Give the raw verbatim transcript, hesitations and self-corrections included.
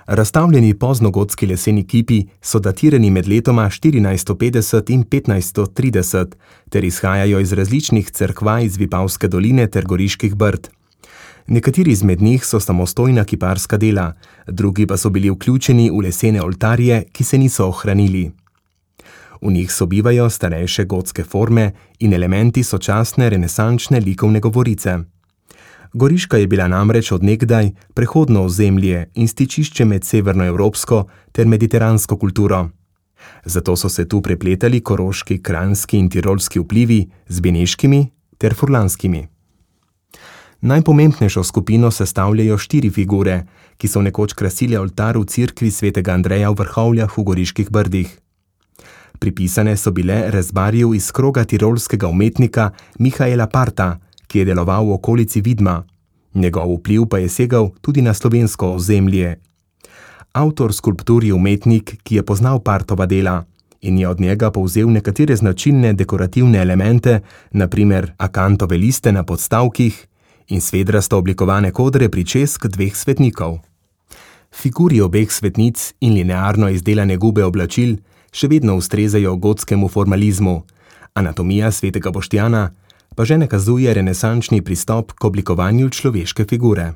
Razstavljeni poznogotski leseni kipi so datirani med letoma štirinajststo petdeset in petnajststo trideset ter izhajajo iz različnih cerkva iz Vipavske doline ter Goriških Brd. Nekateri izmed njih so samostojna kiparska dela, drugi pa so bili vključeni v lesene oltarje, ki se niso ohranili. V njih sobivajo starejše gotske forme in elementi sočasne renesančne likovne govorice. Goriška je bila namreč od nekdaj prehodno ozemlje in stičišče med severnoevropsko ter mediteransko kulturo. Zato so se tu prepletali koroški, kranjski in tirolski vplivi z beneškimi ter furlanskimi. Najpomembnejšo skupino sestavljajo štiri figure, ki so nekoč krasile oltar v cerkvi svetega Andreja v Vrhovljah v Goriških Brdih. Pripisane so bile rezbarju iz kroga tirolskega umetnika Mihaela Parta, ki je deloval v okolici Vidma. Njegov vpliv pa je segal tudi na slovensko ozemlje. Avtor skulptur je umetnik, ki je poznal Partova dela in je od njega povzel nekatere značilne dekorativne elemente, na primer akantove liste na podstavkih in svedrasto oblikovane kodre pričesk dveh svetnikov. Figuri obeh svetnic in linearno izdelane gube oblačil še vedno ustrezajo gotskemu formalizmu, anatomija svetega Boštjana pa že nakazuje renesančni pristop k oblikovanju človeške figure.